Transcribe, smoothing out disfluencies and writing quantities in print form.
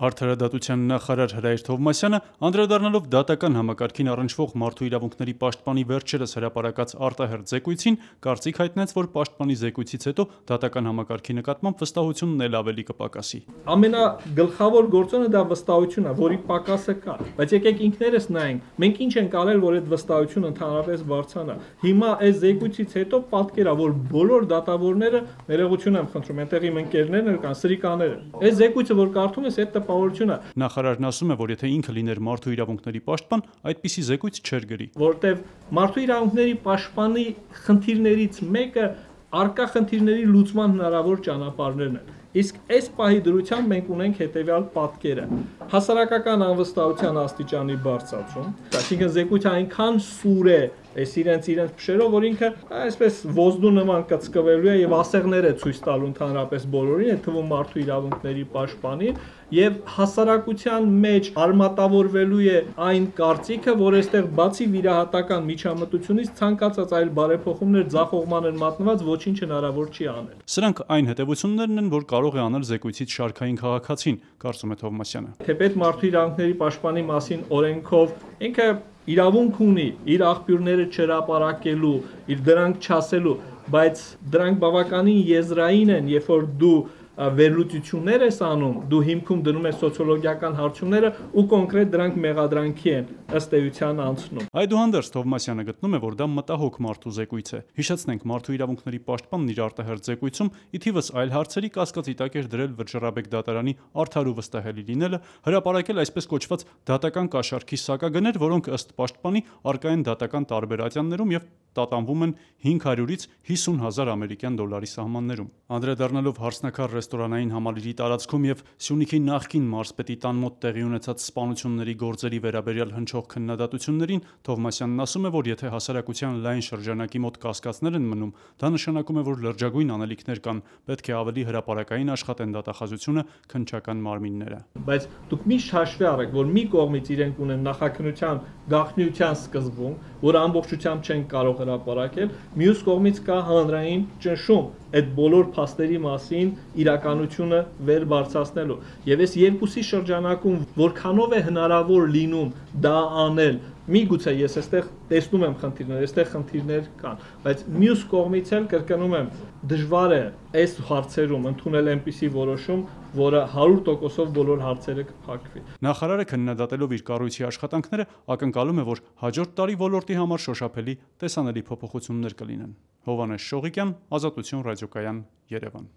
Արդարադատության նախարար Հրայր Թովմասյանը, անդրադառնալով դատական համակարգին առնչվող մարդու իրավունքների պաշտպանի վերջերս հրապարակած արտահերթ զեկույցին, կարծիք հայտնեց, որ պաշտպանի զեկույցից հետո դատական համակարգի նկատմամբ վստահությունն էլ ավելի կպակասի։ Ամենագլխավոր գործոնը դա վստահությունն է, որի պակասը կա, բայց եկեք ինքներս նայենք, մենք ինչ ենք արել, որ այդ վստահությունը ընդհանրապես բարձրանա։ Հիմա այս զեկույցից հետո պատկեր է, որ բոլոր դատավորները, ներողություն եմ խնդրում, այնտեղ իմ ընկերներն էլ կան, սրիկաները։ Այս զեկույցը, որ կարդում ես, այդ Նախարարն ասում է, որ եթե ինքը լիներ մարդու իրավունքների պաշտպան, այդպիսի զեկույց չէր գրի։ Որտեվ մարդու իրավունքների պաշտպանի խնդիրներից մեկը առկա խնդիրների լուծման հնարավոր ճանապարհներն են։ Իսկ այս պահի դրությամբ մենք ունենք հետևյալ պատկերը. հասարակական անվստահության աստիճանի բարձրացում, այսինքն զեկույցը այնքան սուր է այս իրենց փշերով, որ ինքը այսպես ոզդու նման կծկվելու է եւ ասեղներ է ցույց տալու ընդհանրապես բոլորին, այդ թվում մարդու իրավունքների պաշտպանին, եւ հասարակության մեջ արմատավորվելու է այն կարծիքը, որ այստեղ բացի վիրահատական միջամտությունից ցանկացած այլ բարեփոխումներ ձախողման են մատնված, ոչինչ հնարավոր չի անել։ Սրանք այն հետևություններն են, որ կարող է անել զեկույցից շարքային քաղաքացին, կարծում է Թովմասյանը։ Թեպետ մարդու իրավունքների պաշտպանի մասին օրենքով ինքը իրավունք ունի իր աղբյուրները չհրապարակելու, իր դրանք չասելու, բայց դրանք բավականին եզրային են, երբ որ դու վերլուծություններ ես անում, դու հիմքում դնում ես սոցիոլոգիական հարցումները ու կոնկրետ դրանք մեղադրանքի են ըստ էության անցնում։ Այդուհանդերձ Թովմասյանը գտնում է, որ դա մտահոգ մարդու զեկույց է։ Հիշեցնենք, մարդու իրավունքների պաշտպանն իր արտահերթ զեկույցում ի թիվս այլ հարցերի կասկածի տակ էր դրել Վրջռաբեկ դատարանի արդար ու վստահելի լինելը, հրապարակել այսպես կոչված դատական կաշառքի սակագներ, որոնք ըստ պաշտպանի առկա են դատական տարբեր ատյաններում եւ տատանվում են 500-ից 50,000 ամերիկյան դոլարի սահմաններում։ Անդրադառնալով Հարսնաքար ռեստորանային համալիրի տարածքում եւ Սյունիքի նախկին մարզպետի տան մոտ տեղի ունեցած սպանությունների գործերի վերաբերյալ հնչող քննադատություններին, Թովմասյանն ասում է, որ եթե հասարակության լայն շրջանակի մոտ կասկածներ են մնում, դա նշանակում է, որ լրջագույն անելիքներ կան, պետք է ավելի հրապարակային աշխատեն դատախազությունը, քննչական մարմինները։ Բայց դուք միշտ հաշվի առեք, որ մի կողմից իրենք ունեն նախաքննության գաղտնիության սկզբունք, որ ամբողջությամբ չեն կարող հրապարակել, մյուս կողմից կա հանրային ճնշում այդ բոլոր փաստերի մասին իրականությունը վեր բարձրացնելու։ Եվ այս երկուսի շրջանակում որքանով է հնարավոր լինում դա անել, միգուցե ես այստեղ տեսնում եմ խնդիրներ, այստեղ խնդիրներ կան, բայց մյուս կողմից էլ կրկնում եմ, դժվար է այս հարցերում ընդունել այնպիսի որոշում, որը 100%-ով բոլոր հարցերը կփակվի։ Նախարարը քննադատելով իր կառույցի աշխատանքները ակնկալում է, որ հաջորդ տարի ոլորտի համար շոշափելի տեսանելի փոփոխություններ կլինեն։ Հովհաննես Շողիկյան, Ազատություն ռադիոկայան, Երևան։